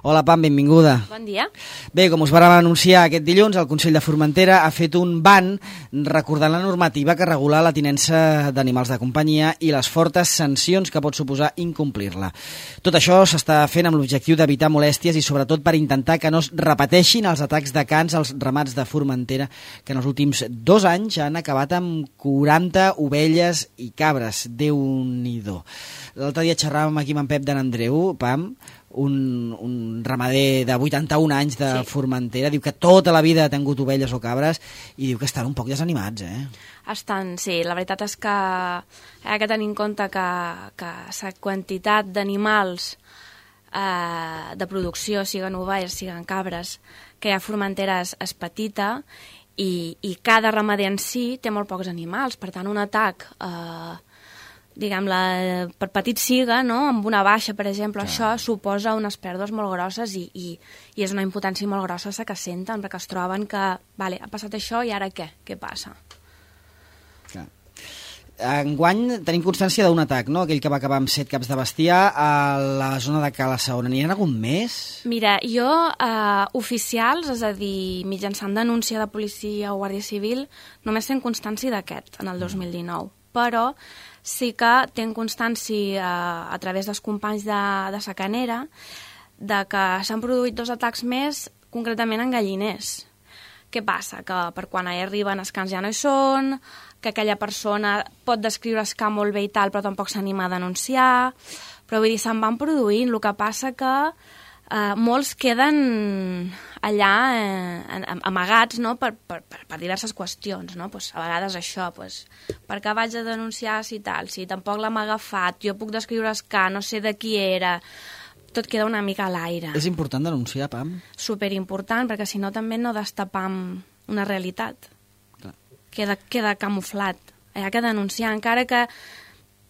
Hola, Pam, benvinguda. Bon dia. Bé, com us vàrem anunciar aquest dilluns, el Consell de Formentera ha fet un ban recordant la normativa que regula la tinença d'animals de companyia i les fortes sancions que pot suposar incomplir-la. Tot això s'està fent amb l'objectiu d'evitar molèsties i sobretot per intentar que no es repeteixin els atacs de cans als ramats de Formentera que en els últims 2 anys han acabat amb 40 ovelles i cabres. Déu-n'hi-do. L'altre dia xerràvem aquí amb en Pep de n'Andreu, Pam, un ramader de 81 anys de Formentera, diu que tota la vida ha tingut ovelles o cabres i diu que estan un poc desanimats, Estan, sí. La veritat és que ha de tenir en compte que la quantitat d'animals de producció, siguen ovelles, siguen cabres, que hi ha a Formentera és petita i cada ramader en si té molt pocs animals. Per tant, un atac diguem-la, per petit siga, no? Amb una baixa, per exemple, això suposa unes pèrdues molt grosses i és una impotència molt grossa la que senten, perquè es troben que, vale, ha passat això i ara què? Què passa? Clar. Enguany tenim constància d'un atac, no? Aquell que va acabar amb 7 caps de bestiar a la zona de Cala Saona. N'hi ha algun més? Mira, jo, oficials, és a dir, mitjançant denúncia de policia o guàrdia civil, només tenc constància d'aquest, en el 2019. Però sí que tenc constància a través dels companys de Sacanera de que s'han produït 2 atacs més, concretament en galliners. Què passa? Que per quan hi arriben els cans ja no hi són, que aquella persona pot descriure el camp molt bé i tal, però tampoc s'anima a denunciar, però vull dir, se'n van produint. El que passa que molts queden allà amagats, no? per diverses qüestions, no? Pues, a vegades això, pues, per què vaig a denunciar si tal, si tampoc l'hem agafat, jo puc descriure el ca, no sé de qui era, tot queda una mica a l'aire. És important denunciar, Pam? Superimportant, perquè si no també no destapam una realitat. Clar. Queda camuflat. Hi ha que denunciar, encara que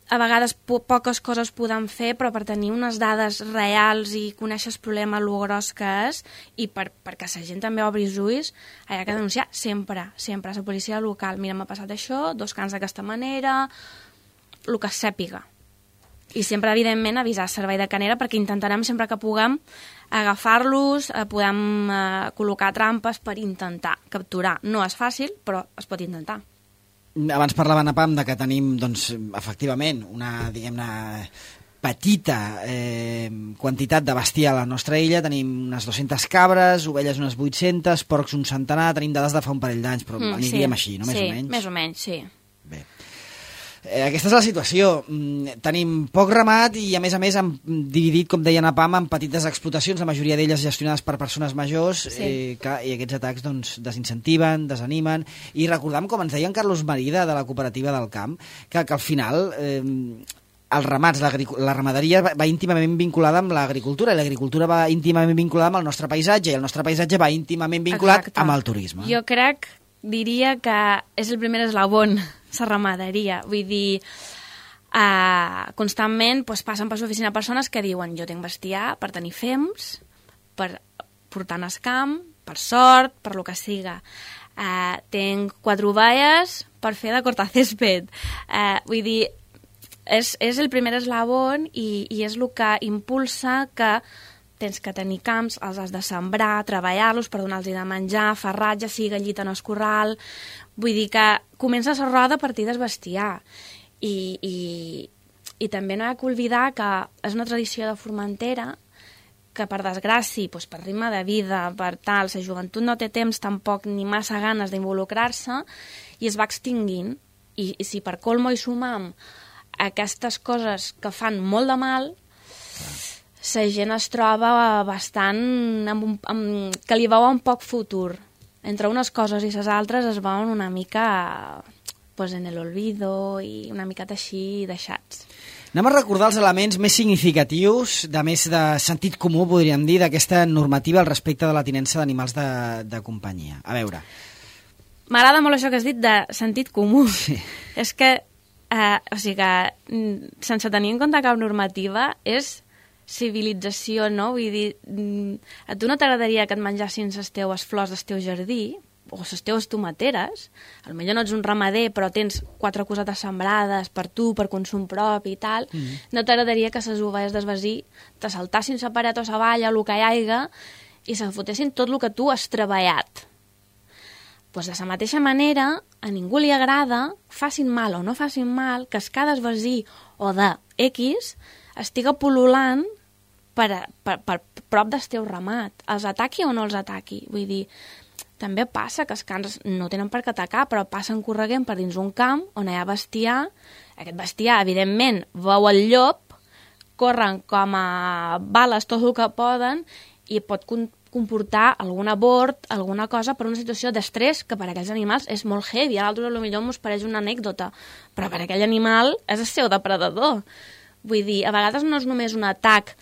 a vegades poques coses podem fer, però per tenir unes dades reals i conèixer el problema, el gros que és, i perquè la gent també obri els ulls, hi ha que denunciar sempre, sempre. A la policia local, mira, m'ha passat això, 2 cans d'aquesta manera, el que es sàpiga. I sempre, evidentment, avisar el servei de canera, perquè intentarem sempre que puguem agafar-los, podem col·locar trampes per intentar capturar. No és fàcil, però es pot intentar. Abans parlaven a Pam de que tenim, doncs, efectivament, una, diguem-ne, petita quantitat de bestiar a la nostra illa. Tenim unes 200 cabres, ovelles unes 800, porcs un centenar, tenim dades de fa un parell d'anys, però aniríem així, no? Més o menys. Sí, més o menys, sí. Bé. Aquesta és la situació. Tenim poc ramat i, a més, hem dividit, com deien a Pam, en petites explotacions, la majoria d'elles gestionades per persones majors, i aquests atacs doncs, desincentiven, desanimen. I recordam, com ens deia en Carlos Marida, de la cooperativa del camp, que al final els ramats, la ramaderia va íntimament vinculada amb l'agricultura, i l'agricultura va íntimament vinculada amb el nostre paisatge, i el nostre paisatge va íntimament vinculat amb el turisme. Jo diria que és el primer eslabon, la ramaderia. Vull dir, constantment passen per l'oficina persones que diuen jo tinc bestiar per tenir fems, per portar al camp, per sort, per lo que siga. Tinc 4 ovelles per fer de cortacésped. Vull dir, és el primer eslabon i és el que impulsa que tens que tenir camps, els has de sembrar, treballar-los per donar-los de menjar, farratge, sigui gallit en el corral. Vull dir que comença la roda a partir del bestiar. I també no hi ha que oblidar que és una tradició de Formentera que, per desgràcia, per ritme de vida, per tal, la joventut no té temps tampoc ni massa ganes d'involucrar-se i es va extingint. I si per colmo hi sumam aquestes coses que fan molt de mal, la gent es troba bastant que li veuen poc futur. Entre unes coses i les altres es veuen una mica en el olvido i una miqueta així deixats. Anem a recordar els elements més significatius, de més de sentit comú, podríem dir, d'aquesta normativa al respecte de la tinença d'animals de companyia. A veure. M'agrada molt això que has dit de sentit comú. Sí. És que, sense tenir en compte cap normativa, és civilització, no? Vull dir, a tu no t'agradaria que et menjassin les teues flors del teu jardí, o les teves tomateres, potser no ets un ramader però tens 4 cosetes sembrades per tu, per consum propi i tal, no t'agradaria que les ovelles d'esvasir te saltassin la paret o la valla, el que hi haiga, i se fotessin tot el que tu has treballat. Pues de la mateixa manera, a ningú li agrada, facin mal o no facin mal, que es cada esvasir o de X estiga pol·lulant per prop del teu ramat. Els ataqui o no els ataqui? Vull dir, també passa que els cans no tenen per què atacar, però passen corregent per dins un camp on hi ha bestiar. Aquest bestiar, evidentment, veu el llop, corren com a bales tot el que poden i pot comportar algun abort, alguna cosa, per una situació d'estrès que per a aquells animals és molt heavy. A l'altre potser ens pareix una anècdota, però per a aquell animal és el seu depredador. Vull dir, a vegades no és només un atac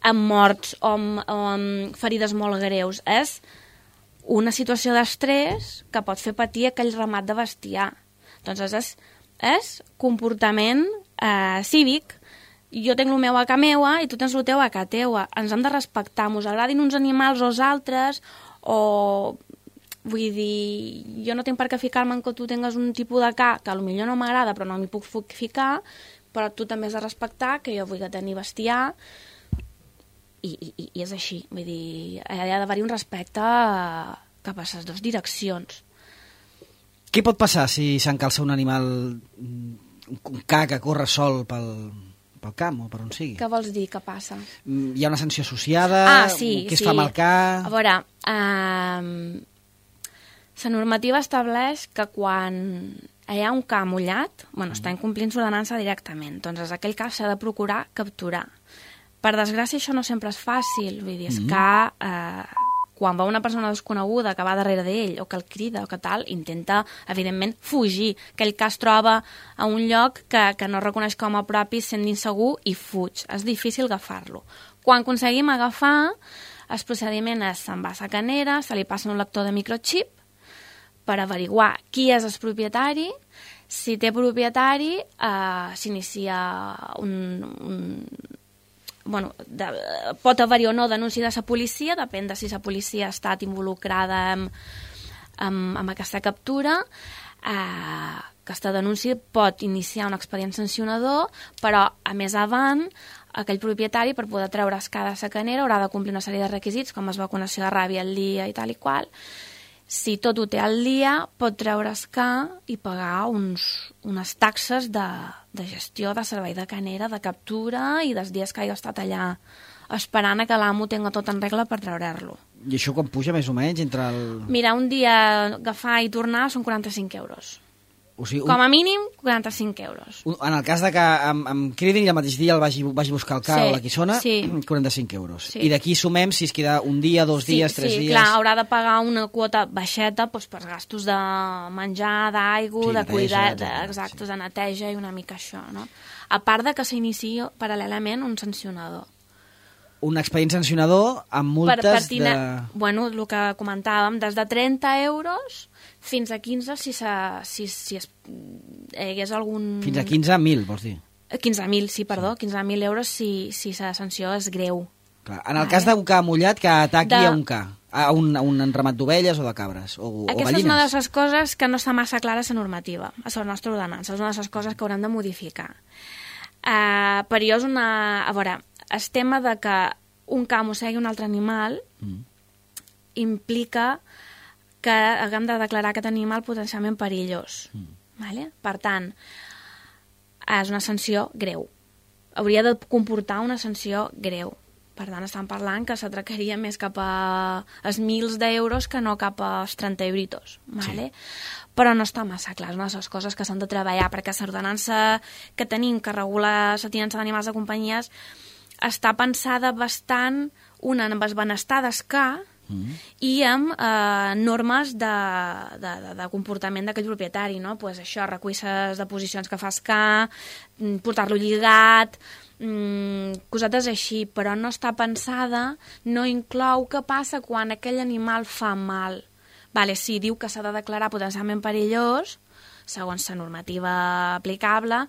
amb morts o amb ferides molt greus, és una situació d'estrès que pot fer patir aquell ramat de bestiar. Doncs és comportament cívic. Jo tenc el meu a ca meua i tu tens el teu a ca teua. Ens hem de respectar, mos agradin uns animals o els altres, o... Vull dir, jo no tinc per què ficar-me en que tu tingues un tipus de ca que potser no m'agrada però no m'hi puc ficar, però tu també has de respectar que jo vull tenir bestiar i és així. Vull dir, ha d'haver-hi un respecte cap a les dues direccions. Què pot passar si s'encalça un animal, un ca que corre sol pel camp o per on sigui? Què vols dir, què passa? Hi ha una sanció associada? Sí. Què es fa amb el ca? A veure, la normativa estableix que quan hi ha un ca mullat, està incomplint l'ordenança directament, doncs aquell ca s'ha de procurar capturar. Per desgràcia, això no sempre és fàcil. Vull dir, és que quan va una persona desconeguda que va darrere d'ell o que el crida o que tal, intenta, evidentment, fugir. Aquell cas troba a un lloc que no reconeix com a propi, sent insegur i fuig. És difícil agafar-lo. Quan aconseguim agafar, el procediment és se'n va a la canera, se li passa un lector de microchip per averiguar qui és el propietari. Si té propietari, s'inicia pot haver-hi o no denúncia de la policia, depèn de si la policia ha estat involucrada amb aquesta captura. Aquesta denúncia pot iniciar un expedient sancionador, però a més avant aquell propietari, per poder treure el ca de la canera, haurà de complir una sèrie de requisits, com és vacunació de ràbia al dia i tal i qual. Si tot ho té al dia, pot treure el ca i pagar unes taxes de gestió de servei de canera, de captura i dels dies que hagi estat allà esperant que l'amo tenga tot en regla per treure-lo. I això quan puja més o menys entre el... Mira, un dia agafar i tornar són 45 euros. O sigui, com a mínim, 45 euros. En el cas de que em cridin i el mateix dia el vagi buscar el ca o la quissona, 45 euros. Sí. I d'aquí sumem si es queda un dia, 2 dies, 3 dies... Sí, clar, haurà de pagar una quota baixeta per gastos de menjar, d'aigua, de cuidar, exacte, de neteja i una mica això, no? A part de que s'inicia paral·lelament un sancionador. Un expedient sancionador amb multes de... Bueno, el que comentàvem, des de 30 euros fins a 15 si hi hagués algun... Fins a 15.000, vols dir? 15.000, sí, perdó, 15.000 euros si la sanció és greu. Clar. En el cas d'un ca mullat que ataqui a un ca, a un ramat d'ovelles o de cabres, o aquesta gallines. És una de les coses que no està massa clara la normativa, a la nostra ordenança, és una de les coses que haurem de modificar. Per jo és una... A veure, el tema de que un ca mossegui un altre animal implica que haguem de declarar aquest animal potencialment perillós. Vale? Per tant, és una sanció greu. Hauria de comportar una sanció greu. Per tant, estan parlant que s'atracaria més cap als 1.000 d'euros que no cap als 30 euritos. Vale? Sí. Però no està massa clar, és una de les coses que s'han de treballar, perquè l'ordenança que tenim que regula la tinença d'animals de companyies està pensada bastant, una, amb el benestar del ca i amb normes de comportament d'aquell propietari, no? Pues això, recull les deposicions que fa el ca, portar-lo lligat, cosetes així, però no està pensada, no inclou què passa quan aquell animal fa mal. Vale, sí, diu que s'ha de declarar potencialment perillós, segons la normativa aplicable,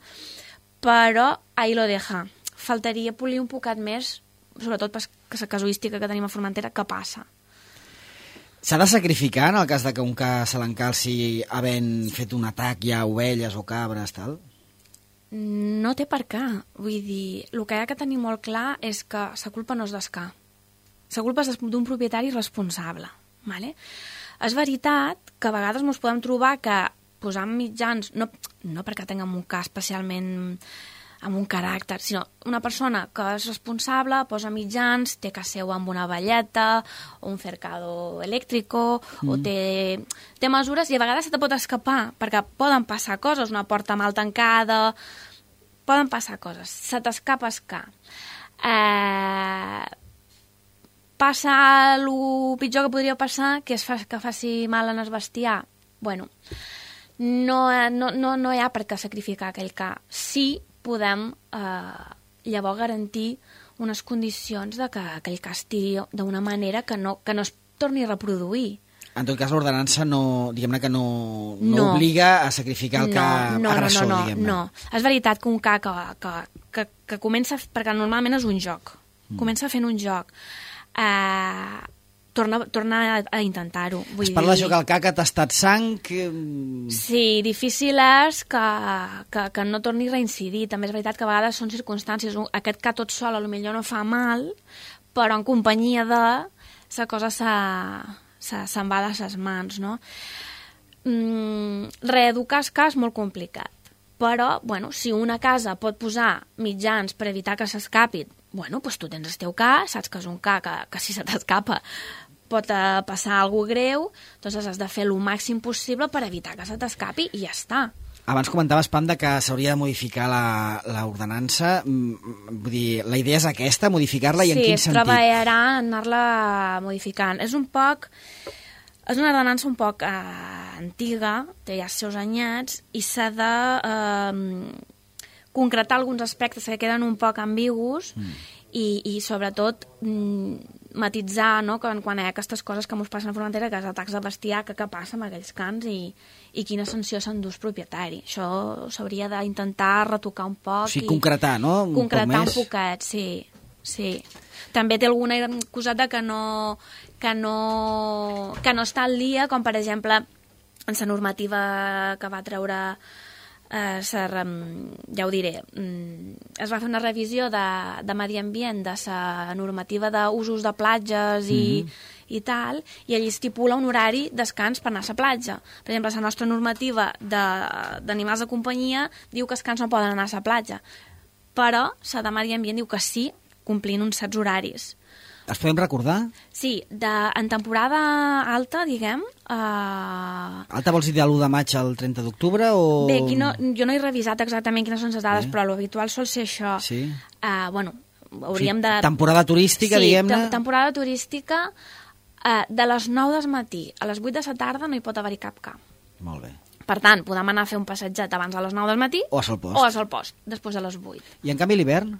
però ahí lo deja. Faltaria polir un poquet més, sobretot per la casuística que tenim a Formentera, què passa. S'ha de sacrificar en el cas de que un ca se l'encalci havent fet un atac ja a ovelles o cabres, tal? No té per què. Vull dir, el que hi ha que tenir molt clar és que la culpa no és d'escar. La culpa és d'un propietari responsable. Vale? És veritat que a vegades ens podem trobar que posant mitjans, no perquè tinguem un cas especialment amb un caràcter, sinó una persona que és responsable, posa mitjans, té casa seva amb una velleta, o un cercado elèctrico, o té mesures, i a vegades se te pot escapar, perquè poden passar coses, una porta mal tancada, poden passar coses, se t'escapa escar. Passa el pitjor que podria passar, que és que faci mal en el bestiar. Bueno, no hi ha per què sacrificar aquell ca. Sí podem llavors garantir unes condicions de que aquell ca estigui d'una manera que no es torni a reproduir. En tot cas, l'ordenança diguem-ne que no obliga a sacrificar el ca agressor, diguem-ne. No. És veritat que un ca que comença, perquè normalment és un joc, comença fent un joc, torna a intentar-ho. Es parla d'això que el ca que t'ha estat sang... Sí, difícil és que no torni a reincidir. També és veritat que a vegades són circumstàncies. Aquest ca tot sol potser no fa mal, però en companyia de la cosa se'n va de ses mans, no? Reeducar el ca és molt complicat. Però, bueno, si una casa pot posar mitjans per evitar que s'escapi, bueno, doncs tu tens el teu ca, saps que és un ca que si se t'escapa pot passar alguna cosa greu, doncs has de fer el màxim possible per evitar que se t'escapi i ja està. Abans comentaves, Pam, que s'hauria de modificar l'ordenança. Vull dir, la idea és aquesta, modificar-la, i en quin sentit? Sí, es treballarà en anar-la modificant. És una ordenança un poc antiga, té ja els seus anyats, i s'ha de concretar alguns aspectes que queden un poc ambigus i sobretot matitzar, no?, quan hi ha aquestes coses que ens passen a Formentera, que és atacs de bestiar, que passa amb aquells cans i quina sanció s'endús propietari. Això s'hauria d'intentar retocar un poc. O sigui, concretar, no? Concretar un poquet, sí. També té alguna coseta que no està al dia, com per exemple en la normativa que va treure ja ho diré, es va fer una revisió de medi ambient de la normativa d'usos de platges i tal, i allí estipula un horari descans per anar a la platja. Per exemple, la nostra normativa d'animals de companyia diu que els cans no poden anar a la platja, però la de medi ambient diu que sí, complint uns certs horaris. Els podem recordar? Sí, en temporada alta, diguem... Alta vols dir de l'1 de maig al 30 d'octubre o...? Bé, aquí jo no he revisat exactament quines són les dades, però l'habitual sol ser això. Sí? Bueno, hauríem de... Temporada turística, diguem-ne? Sí, temporada turística, de les 9 del matí a les 8 de la tarda no hi pot haver-hi cap ca. Molt bé. Per tant, podem anar a fer un passatget abans de les 9 del matí o a Solpost. O a Solpost, després de les 8. I en canvi l'hivern?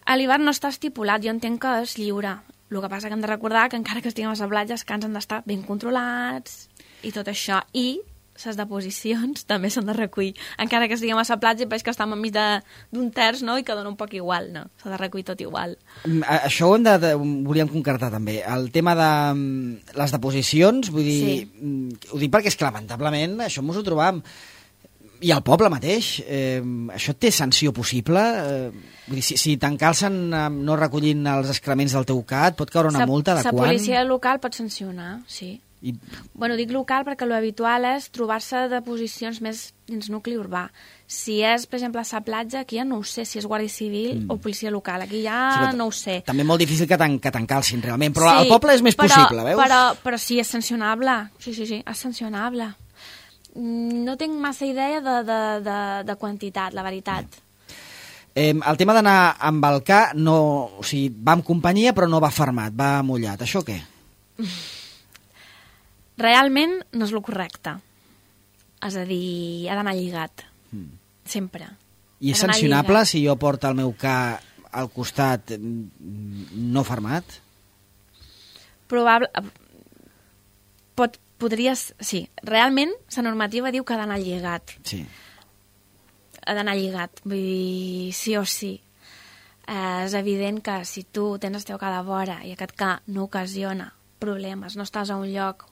A l'hivern no està estipulat, jo entenc que és lliure. El que passa que hem de recordar que encara que estiguem a la platja, els cans han d'estar ben controlats i tot això. I les deposicions també s'han de recollir. Encara que estiguem a la platja, veig que estem enmig d'un terç, no?, i que dona un poc igual, no? S'ha de recollir tot igual. Això ho volíem concretar també. El tema de les deposicions, vull dir... Sí. Ho dic perquè és que lamentablement això ens ho trobam. I al poble mateix, això té sanció possible? Vull dir, si t'encalcen no recollint els excrements del teu ca, et pot caure una multa de quan? La policia local pot sancionar, sí. Bueno, dic local perquè l'habitual és trobar-se de posicions més dins nucli urbà. Si és, per exemple, a la platja, aquí ja no ho sé si és Guàrdia Civil o policia local. Aquí ja no ho sé. També molt difícil que t'encalcin, realment. Però al poble és més possible, veus? Però sí, és sancionable. Sí, és sancionable. No tinc massa idea de quantitat, la veritat. El tema d'anar amb el ca, o sigui, va amb companyia però no va fermat, va mullat. Això què? Realment no és el correcte. És a dir, ha d'anar lligat. Sempre. I és sancionable si jo porto el meu ca al costat no fermat? Sí, realment la normativa diu que ha d'anar lligat. Sí. Ha d'anar lligat, vull dir, sí o sí. És evident que si tu tens el teu ca de vora i aquest ca no ocasiona problemes, no estàs a un lloc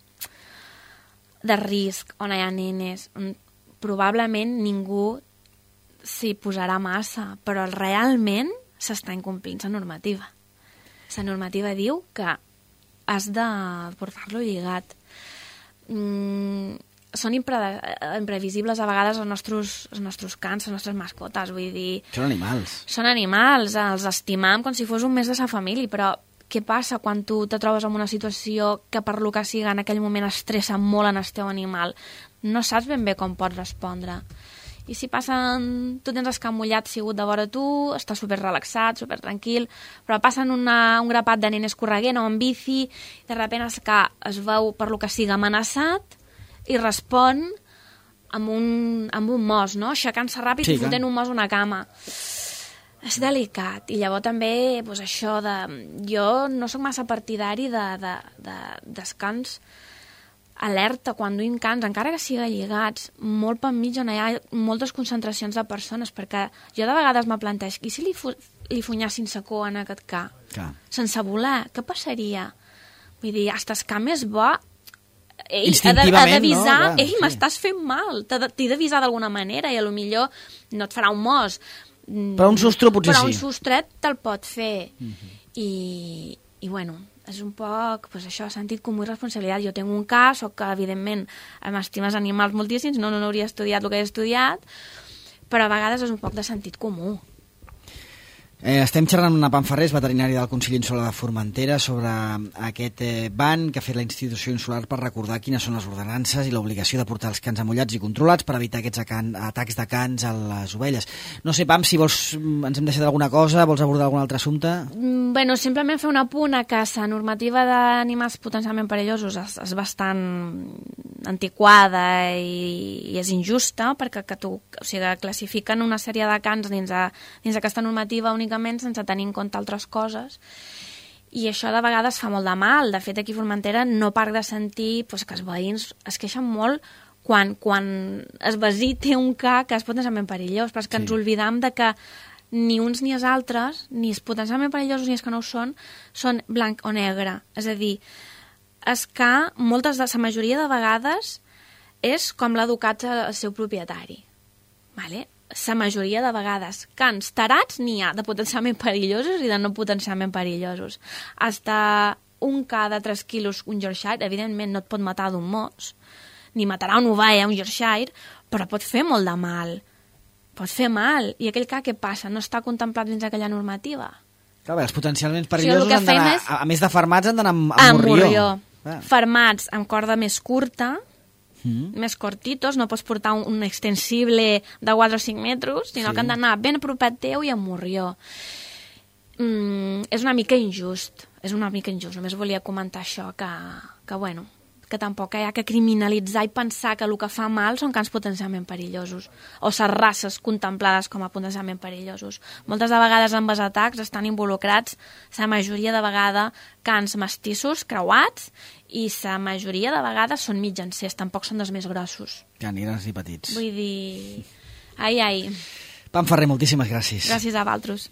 de risc on hi ha nenes, probablement ningú s'hi posarà massa, però realment s'està incomplint la normativa. La normativa diu que has de portar-lo lligat. Són imprevisibles a vegades els nostres cans, les nostres mascotes, vull dir... Són animals. Són animals, els estimam com si fos un més de sa família, però què passa quan tu te trobes en una situació que per lo que siga en aquell moment estressa molt en el teu animal? No saps ben bé com pots respondre. I si passen, tu tens el cap mullat sigut de vora tu, estàs super relaxat, super tranquil, però passen un grapat de nenes correguent o en bici, i de sobte es veu per lo que siga amenaçat i respon amb un mos, no? Aixecant-se ràpid i fotent un mos a una cama. És delicat. I llavors també, doncs això de... Jo no sóc massa partidari de descans alerta quan duim cans, encara que siga lligats, molt per mig on hi ha moltes concentracions de persones, perquè jo de vegades me plantejo, i si li funyassin sa cua en aquest ca? Sense voler, què passaria? Vull dir, hasta el ca més bo, ell ha d'avisar, no? Ei, m'estàs fent mal, t'he d'avisar d'alguna manera, i potser no et farà un mos. Però un sostre potser sí. Però un sostret te'l pot fer. I bueno, és un poc, doncs això, sentit comú i responsabilitat. Jo tinc un cas, soc que, evidentment, m'estimes animals moltíssims, no hauria estudiat el que he estudiat, però a vegades és un poc de sentit comú. Estem xerrant amb una Panferrés, veterinària del Consell Insular de Formentera, sobre aquest ban que ha fet la institució insular per recordar quines són les ordenances i l'obligació de portar els cans amullats i controlats per evitar aquests atacs de cans a les ovelles. No sé, Pam, si vols, ens hem deixat alguna cosa, vols abordar algun altre assumpte? Bueno, simplement fer un apunt a que la normativa d'animals potencialment perillosos és bastant antiquada i és injusta, perquè classifiquen una sèrie de cans dins aquesta normativa únicament sense tenir en compte altres coses, i això de vegades fa molt de mal. De fet, aquí a Formentera no parc de sentir que els veïns es queixen molt quan el veí té un ca que és potencialment perillós, però és que ens oblidam de que ni uns ni els altres, ni els potencialment perillosos ni els que no ho són blanc o negre. És a dir, és que la majoria de vegades és com l'ha educat el seu propietari. Vale? La majoria de vegades. Cans tarats n'hi ha de potencialment perillosos i de no potencialment perillosos. Hasta un ca de 3 quilos, un Yorkshire, evidentment no et pot matar d'un mos, ni matarà una ovella, un Yorkshire, però pot fer molt de mal. Pot fer mal. I aquell ca, què passa? No està contemplat dins aquella normativa. Clar, els potencialment perillosos han d'anar, a més de fermats, han d'anar amb morrió. Fermats amb corda més curta, més cortitos, no pots portar un extensible de 4 o 5 metres, sinó que han d'anar ben a propet teu i amb morrió. És una mica injust, només volia comentar això, que bueno, que tampoc hi ha que criminalitzar i pensar que el que fa mal són cans potencialment perillosos, o les races contemplades com a potencialment perillosos. Moltes de vegades amb els atacs estan involucrats, la majoria de vegades, cans mestissos, creuats, i la majoria de vegades són mitjancers, tampoc són dels més grossos. Ja, ni grans ni petits. Vull dir... Ai. Panferrer, moltíssimes gràcies. Gràcies a vosaltres.